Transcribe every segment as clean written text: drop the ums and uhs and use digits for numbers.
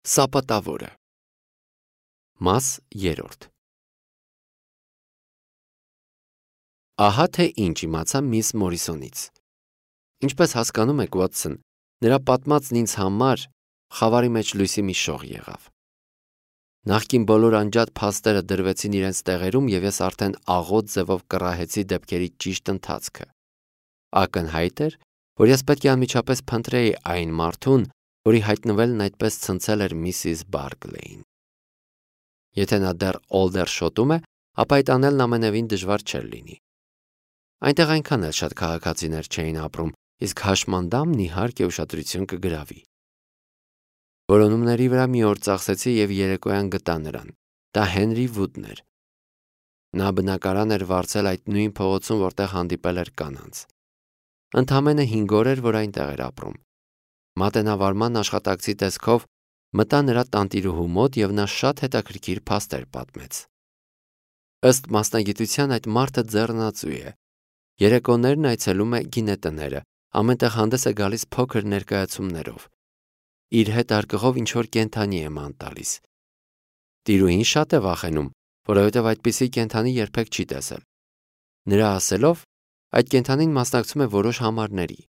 Սապատավորը։ Մաս 3 Ահա թե ինչ իմացա միս Մորիսոնից։ Ինչպես հասկանում եք, Ուոտսոն, նրա պատմածն ինձ համար խավարի մեջ լույսի մի շող եղավ։ Նախկին բոլոր անջատ փաստերը դրվեցին իրենց տեղերում եւ ես արդեն աղոտ ձևով կռահեցի դեպքերի ճիշտ ընթացքը։ Ակնհայտ էր, որ ես պետք է անմիջապես փնտրեի այն մարդուն, որի հայտնվելն այդպես ցնցել էր Միսիս Բարգլեին։ Եթե նա դեռ Օլդերշոտում է, ապա այդ անելն ամենևին դժվար չէր լինի։ Այնտեղ այնքան էլ շատ քաղաքացիներ չէին ապրում, իսկ հաշմանդամն իհարկե ուշադրություն կգրավի։ Որոնումների վրա մի օր ծախսեցի եւ երեկոյան գտա նրան։ Դա Հենրի Վուդն էր։ Նա բնակարան էր վարձել այդ նույն փողոցում, որտեղ հանդիպել էր կանանց։ Ընդամենը 5 օր էր, որ այնտեղ էր ապրում։ Մատենավարման աշխատակցի տեսքով մտա նրա տանտիրուհու մոտ եւ նա շատ հետաքրքիր փաստեր պատմեց։ Ըստ մասնագիտության այդ մարդը ձեռնածու է։ Երեկոներն այցելում է գինետները, ամենտեղ հանդես է գալիս փոքր ներկայացումներով։ Իր հետ արկղով ինչ-որ կենդանի է ման տալիս։ Տիրուհին շատ է վախենում, որովհետև այդպիսի կենդանի երբեք չի տեսել։ Նրա ասելով, այդ կենդանին մասնակցում է որոշ համարների։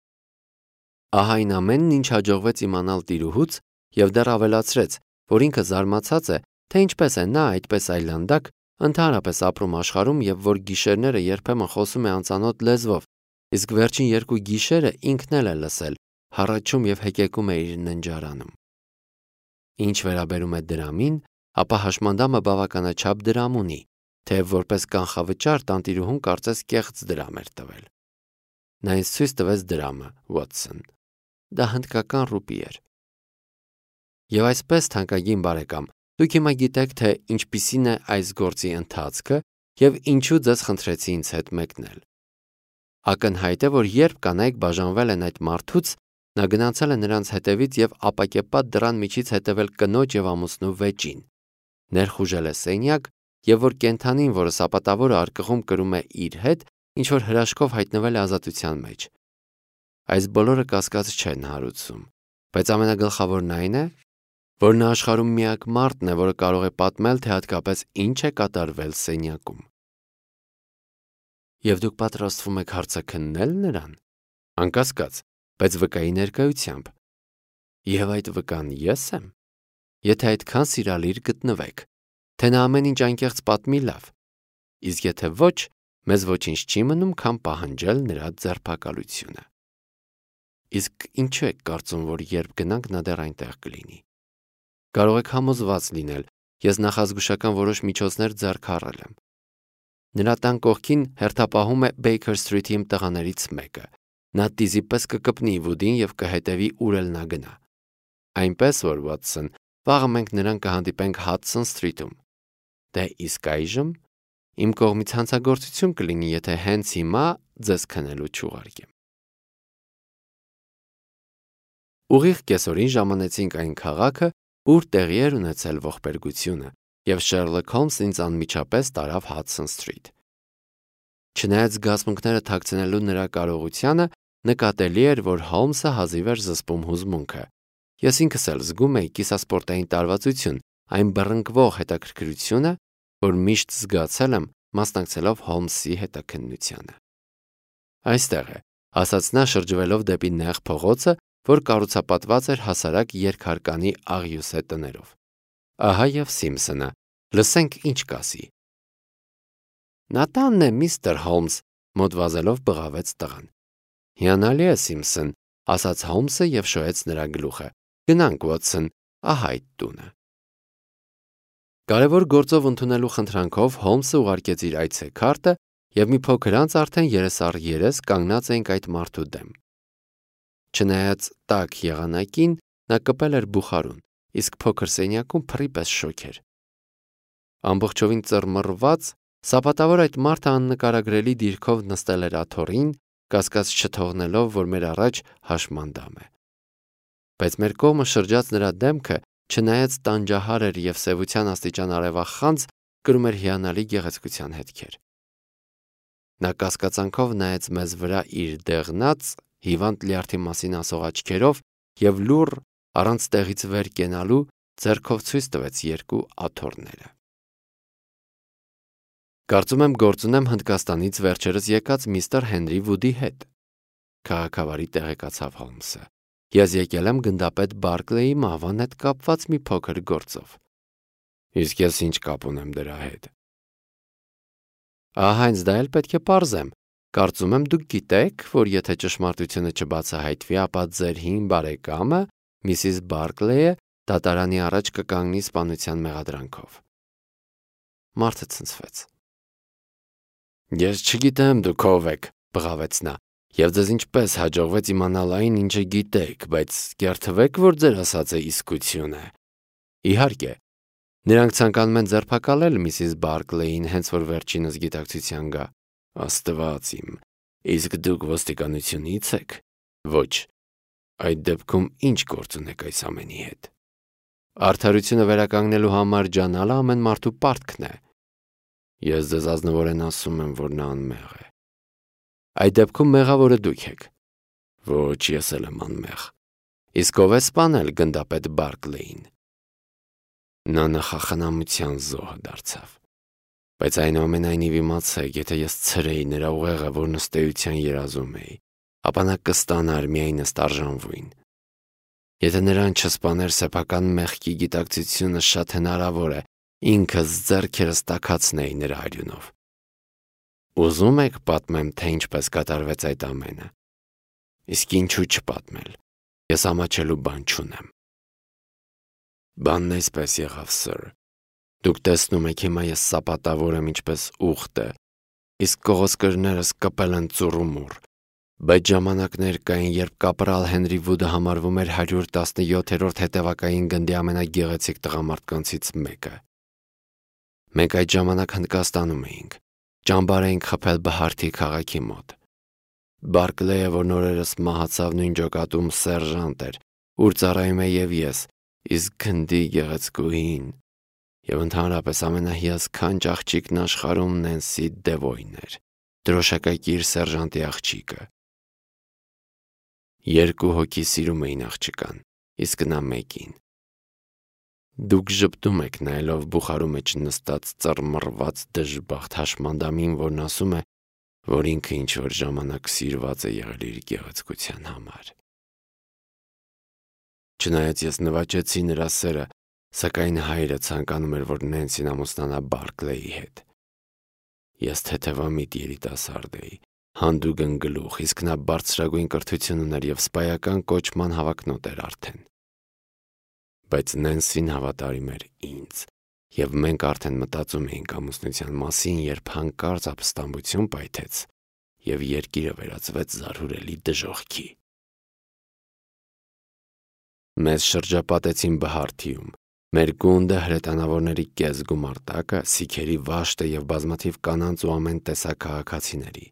Ահա այն ամենն, ինչ հաջողվեց իմանալ տիրուհուց, եւ դեռ ավելացրեց, որ ինքը զարմացած է, թե ինչպես է նա այդպես այլանդակ ընդհանրապես ապրում աշխարհում եւ որ գիշերները երբեմն խոսում է անծանոթ լեզվով, իսկ վերջին 2 գիշերը ինքն էլ է լսել, հառաչում եւ հեկեկում է իր ննջարանում։ Ինչ վերաբերում է դրամին, ապա հաշմանդամը բավականաչափ դրամ ունի, թեև որպես կանխավճար տանտիրուհուն կարծես կեղծ դրամ էր տվել։ Նա ինձ ցույց տվեց դրամը, Ուոտսոն։ Դա հնդկական ռուպի էր։ Եվ այսպես, թանկագին բարեկամ, դուք հիմա գիտեք, թե ինչպիսին է այս գործի ընթացքը եւ ինչու ձեզ խնդրեցի ինձ հետ մեկնել։ Ակնհայտ է, որ երբ կանայք բաժանվել են այդ մարդուց, նա գնացել է նրանց հետևից եւ ապակեպատ դռան միջից հետևել կնոջ եւ ամուսնու վեճին։ Ներխուժել է սենյակ եւ որ կենդանին, որը սապատավորը արկղում կրում է իր հետ, ինչ որ հրաշքով հայտնվել է ազատության մեջ։ Այս բոլորը կասկած չեն հարուցում, բայց ամենագլխավորն այն է, որ նա աշխարհում միակ մարդն է, որը կարող է պատմել, թե հատկապես ինչ է կատարվել սենյակում։ Եվ դուք պատրաստվում եք հարցը քննել նրան։ Անկասկած, բայց վկայի ներկայությամբ։ Եվ այդ վկան ես եմ։ Եթե այդքան սիրալիր գտնվեք, թե նա ամեն ինչ անկեղծ պատմի լավ, իսկ եթե ոչ, մեզ ոչինչ չի մնում, քան պահանջել նրա ձերբակալությունը։ Իսկ ինչու եք կարծում, որ երբ գնանք նա դեռ այնտեղ կլինի։ Կարող եք համոզված լինել, ես նախազգուշական որոշ միջոցներ ձեռք առել եմ։ Նրա տան կողքին հերթապահում է Baker Street-ի տղաներից մեկը։ Նա տիզի պես կկպնի Վուդին եւ կհետևի ուր էլ նա գնա։ Այնպես որ, Ուոտսոն, վաղը մենք նրան կհանդիպենք Hudson Street-ում։ Դե իսկ այժմ իմ կողմից հանցագործություն կլինի, եթե հենց հիմա ձեզ քնելու չուղարկեմ։ Ուղիղ կեսօրին ժամանեցինք այն քաղաքը, ուր տեղի էր ունեցել ողբերգությունը, եւ Շերլոկ Հոլմսն ինձ անմիջապես տարավ Hudson Street։ Չնայած զգացմունքները թաքցնելու նրա կարողությանը, նկատելի էր, որ Հոլմսը հազիվ էր զսպում հուզմունքը։ Ես ինքս էլ զգում էի կիսասպորտային տարվածություն, այն բռնկվող հետաքրքրությունը, որ միշտ զգացել եմ մասնակցելով Հոլմսի հետաքննությանը։ Այստեղ է, ասաց նա շրջվելով դեպի նեղ փողոցը, որ կառուցապատված էր հասարակ երկհարկանի աղյուսե տներով։ Ահա եւ Սիմփսոնը, լսենք ինչ կասի։ Նա տանն է, միստր Հոլմս, մոտ վազելով բղավեց տղան։ Հիանալի է, Սիմփսոն, ասաց Հոլմսը եւ շոյեց նրա գլուխը։ Գնանք, Ուոտսոն, ահա այդ տունը։ Կարևոր գործով ընդունելու խնդրանքով Հոլմսը ուղարկեց իր այցեքարտը եւ մի փոքր անց արդեն երես կանգնած էինք այդ մարդու դեմ։ Չնայած տաք եղանակին, նա կպել էր բուխարուն, իսկ փոքր սենյակում փռի պես շոգ էր։ Ամբողջովին ծռմռված, սապատավոր այդ մարդը աննկարագրելի դիրքով նստել էր աթոռին, կասկած չթողնելով, որ մեր առաջ հաշմանդամ է։ Բայց մեր կողմը շրջած նրա դեմքը, չնայած տանջահար էր եւ սևության աստիճան արևախանձ, կրում էր հիանալի գեղեցկության հետքեր։ Նա կասկածանքով նայեց մեզ վրա իր դեղնած, հիվանդ լյարդի մասին ասող աչքերով եւ լուռ, առանց տեղից վեր կենալու, ձեռքով ցույց տվեց երկու աթոռները։ Կարծում եմ գործ ունեմ Հնդկաստանից վերջերս եկած միստր Հենրի Վուդի հետ, քաղաքավարի տեղեկացավ Հոլմսը։ Ես եկել եմ գնդապետ Բարկլեի մահվան հետ կապված մի փոքր գործով։ Իսկ ես ինչ կապ ունեմ դրա հետ։ Հենց դա էլ պետք է պարզեմ։ Կարծում եմ դուք գիտեք, որ եթե ճշմարտությունը չբացահայտվի, ապա ձեր հին բարեկամը, Միսիս Բարկլեյը, դատարանի առաջ կկանգնի սպանության մեղադրանքով։ Մարդը ցնցվեց։ Ես չգիտեմ դուք ով եք, բղավեց նա, եւ ձեզ ինչպես հաջողվեց իմանալ այն, ինչը գիտեք, բայց կերթվեք, որ ձեր ասածը իսկություն է։ Իհարկե, նրանք ցանկանում են ձերբակալել Միսիս Բարկլեին, հենց որ վերջինս գիտակցության գա։ Աստված իմ, իսկ դուք ոստիկանությունից եք։ Ոչ։ Այդ դեպքում ինչ գործ ունեք այս ամենի հետ։ Արդարությունը վերականգնելու համար ջանալը ամեն մարդու պարտքն է։ Ես ձեզ ազնվորեն ասում եմ, որ նա անմեղ է։ Այդ դեպքում մեղավորը դուք եք։ Ոչ, ես էլ եմ անմեղ։ Իսկ ով է սպանել գնդապետ Բարկլեին։ Նա նախախնամության զոհ դարձավ։ Բայց այնուամենայնիվ իմացեք, եթե ես ցրեի նրա ուղեղը, որ նստեյության երազում էի, ապա նա կստանար միայն ըստ արժանվույն։ Եթե նրան չսպաներ սեփական մեղքի գիտակցությունը, շատ հնարավոր է ինքս ձեռքերս տաքացնեի նրա արյունով։ Ուզում եք պատմեմ, թե ինչպես կատարվեց այդ ամենը։ Իսկ ինչու չպատմել։ Ես ամաչելու բան չունեմ։ Բանն այսպես եղավ, սըր։ Դուք տեսնում եք հիմա ես սապատավոր եմ ինչպես ուղտը, իսկ կողոսկրներս կպել են ծուռումուռ։ Բայց ժամանակներ կային, երբ կապրալ Հենրի Վուդը համարվում էր 117-րդ հետևակային գնդի ամենագեղեցիկ տղամարդկանցից մեկը։ Մենք այդ ժամանակ Հնդկաստանում էինք, ճամբար էինք խփել Բհարթի քաղաքի մոտ։ Բարկլեյը, որ նորերս մահացավ, նույն ջոկատում սերժանտ էր, ուր ծառայում է եւ ես, իսկ գնդի գեղեցկուհին եւ ընդհանրապես ամենահիասքանչ աղջիկն աշխարհում Նենսի Դևոյն էր, դրոշակակիր սերժանտի աղջիկը։ Երկու հոգի սիրում էին աղջկան, իսկ նա մեկին։ Դուք ժպտում եք նայելով բուխարու մեջ նստած ծռմռված դժբախտ հաշմանդամին, որն ասում է, որ ինքը ինչ-որ ժամանակ սիրված է եղել իր գեղեցկության համար։ Չնայած ես նվաճեցի նրա սերը, սակայն հայրը ցանկանում էր, որ Նենսին ամուսնանա Բարկլեի հետ։ Ես թեթևամիտ երիտասարդ էի, հանդուգն գլուխ, իսկ նա բարձրագույն կրթություն ուներ եւ սպայական կոչման հավակնոտ էր արդեն։ Բայց Նենսին հավատարիմ էր ինձ, եւ մենք արդեն մտածում էինք ամուսնության մասին, երբ հանկարծ ապստամբություն պայթեց եւ երկիրը վերածվեց զարհուրելի դժոխքի։ Մեզ շրջապատեցին Բհարթիում։ Մեր գունդը, հրետանավորների կես գումարտակը, սիքերի վաշտը եւ բազմաթիվ կանանց ու ամեն տեսակ քաղաքացիների։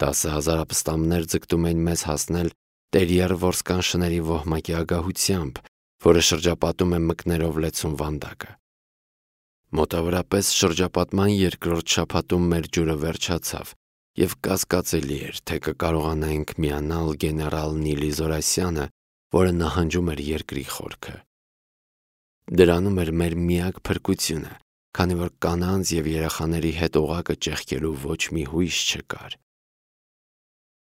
10,000 ապստամբներ ձգտում էին մեզ հասնել տերիեր որսկան շների ոհմակի ագահությամբ, որը շրջապատում է մկներով լեցուն վանդակը։ Մոտավորապես շրջապատման երկրորդ շաբաթում մեր ջուրը վերջացավ եւ կասկածելի էր, թե կկարողանայինք միանալ գեներալ Նիլի Զորասյանը, որը նահանջում էր երկրի խորքը։ Դրանում էր մեր միակ փրկությունը, քանի որ կանանց եւ երեխաների հետ օղակը ճեղքելու ոչ մի հույս չկար։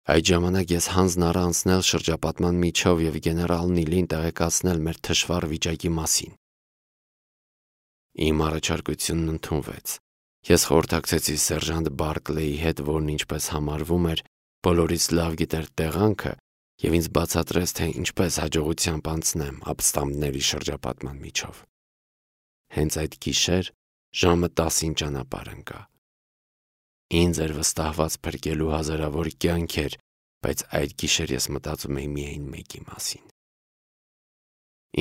Այդ ժամանակ ես հանձն առա անցնել շրջապատման միջով եւ գեներալ Նիլին տեղեկացնել մեր թշվառ վիճակի մասին։ Իմ առաջարկությունն ընդունվեց։ Ես խորհրդակցեցի սերժանտ Բարկլեի հետ, որն ինչպես համարվում էր, բոլորից լավ գիտեր տեղանքը եւ ինձ բացատրեց, թե ինչպես հաջողությամբ անցնեմ ապստամբների շրջապատման միջով։ Հենց այդ գիշեր ժամը 10-ին ճանապարհ ընկա։ Ինձ էր վստահված փրկելու հազարավոր կյանքեր, բայց այդ գիշեր ես մտածում էի միայն մեկի մասին։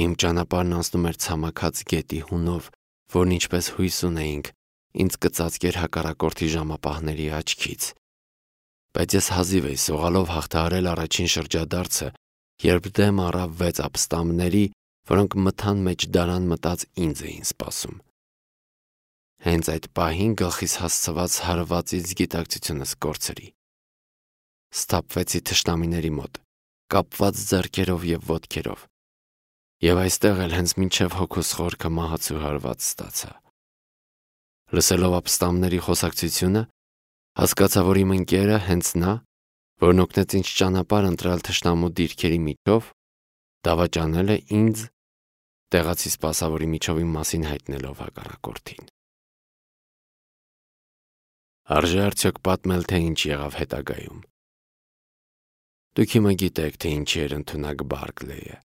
Իմ ճանապարհն անցնում էր ցամաքած գետի հունով, որն ինչպես հույս ունեինք, ինձ կծածկեր հակառակորդի ժամապահների աչքից։ Բայց ես հազիվ էի սողալով հաղթահարել առաջին շրջադարձը, երբ դեմ առավ 6 ապստամբների, որոնք մթան մեջ դարան մտած ինձ էին սպասում։ Հենց այդ պահին գլխիս հասցված հարվածից գիտակցությունս կորցրի։ Սթափվեցի թշնամիների մոտ, կապված ձեռքերով եւ ոտքերով։ Եվ այստեղ էլ հենց մինչև հոգուս խորքը մահացու հարված ստացա։ Լսելով ապստամբների խոսակցությունը, հասկացա, որ իմ ընկերը հենց նա, որն օգնեց ինձ ճանապարհ ընտրալ թշնամու դիրքերի միջով, դավաճանել է ինձ, տեղացի սպասավորի միջով իմ մասին հայտնելով հակառակորդին։ Արժե արդյոք պատմել, թե ինչ եղավ հետագայում։ Դուք հիմա գիտեք, թե ինչի էր ընդունակ Բարքլեյը։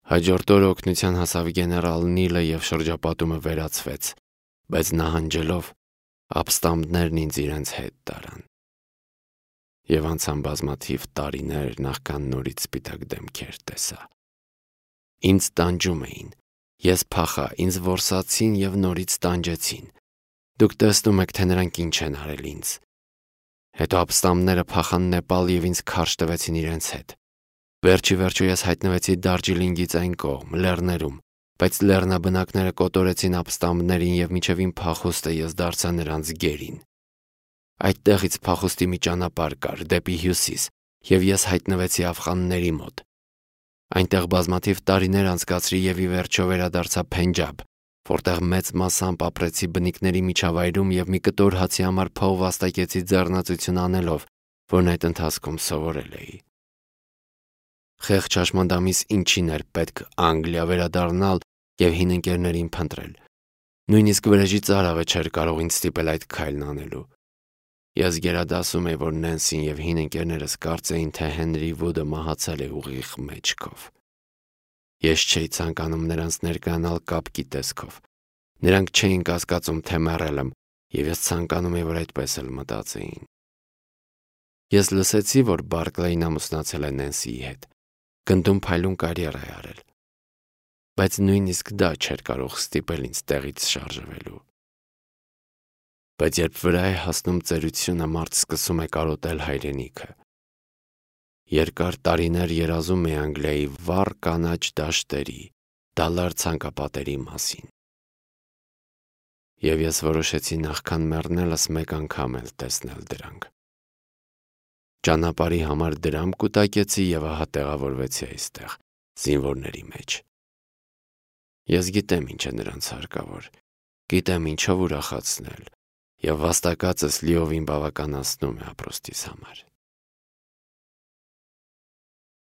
Հաջորդ օրը օգնության հասավ գեներալ Նիլը եւ շրջապատումը վերացվեց, բայց նահանջելով ապստամբներն ինձ իրենց հետ տարան։ Եվ անցան բազմաթիվ տարիներ, նախքան նորից սպիտակ դեմքեր տեսա։ Ինձ տանջում էին, ես փախա, ինձ որսացին եւ նորից տանջեցին։ Դուք տեսնում եք, թե նրանք ինչ են արել ինձ։ Հետո ապստամբները փախան Նեպալ եւ ինձ քարշ տվեցին իրենց հետ։ Վերջի վերջո ես հայտնվեցի Դարջիլինգից այն կողմ, լեռներում, բայց լեռնաբնակները կոտորեցին ապստամբներին եւ մինչեւ իմ փախուստը ես դարձա նրանց գերին։ Այդտեղից փախուստի մի ճանապարհ կար դեպի հյուսիս, եւ ես հայտնվեցի աֆղանների մոտ։ Այնտեղ բազմաթիվ տարիներ անցկացրի եւ ի վերջո վերադարձա Փենջաբ, որտեղ մեծ մասամբ ապրեցի բնիկների միջավայրում եւ մի կտոր հացի համար փող վաստակեցի ձեռնացություն անելով, որն այդ ընթացքում սովորել էի։ Խեղճ հաշմանդամիս ինչին էր պետք Անգլիա վերադառնալ եւ հին ընկերներին փնտրել։ Նույնիսկ վրեժի ծարավը չէր կարող ինձ ստիպել այդ քայլն անելու։ Ես գերադասում էի, որ Նենսին եւ հին ընկերներս կարծեին, թե Հենրի Վուդը մահացել է ուղիղ մեջքով։ Ես չէի ցանկանում նրանց ներկայանալ կապկի տեսքով։ Նրանք չէին կասկածում, թե մեռել եմ, եւ ես ցանկանում էի, որ այդպես էլ մտածեին։ Ես լսեցի, որ Բարքլեյն ամուսնացել է Նենսիի հետ, գնդում փայլուն կարիերա է արել, բայց նույնիսկ դա չէր կարող ստիպել ինձ տեղից շարժվելու։ Բայց երբ վրա է հասնում ծերությունը, մարդ սկսում է կարոտել հայրենիքը։ Երկար տարիներ երազում է Անգլիայի վառ կանաչ դաշտերի, դալար ցանկապատերի մասին։ Եվ ես որոշեցի նախքան մեռնելս մեկ անգամ էլ տեսնել դրանք։ Ճանապարհի համար դրամ կուտակեցի եւ ահա տեղավորվեցի այստեղ, զինվորների մեջ։ Ես գիտեմ ինչ է նրանց հարկավոր, գիտեմ ինչով ուրախացնել, եւ վաստակածս լիովին բավականացնում է ապրոստիս համար։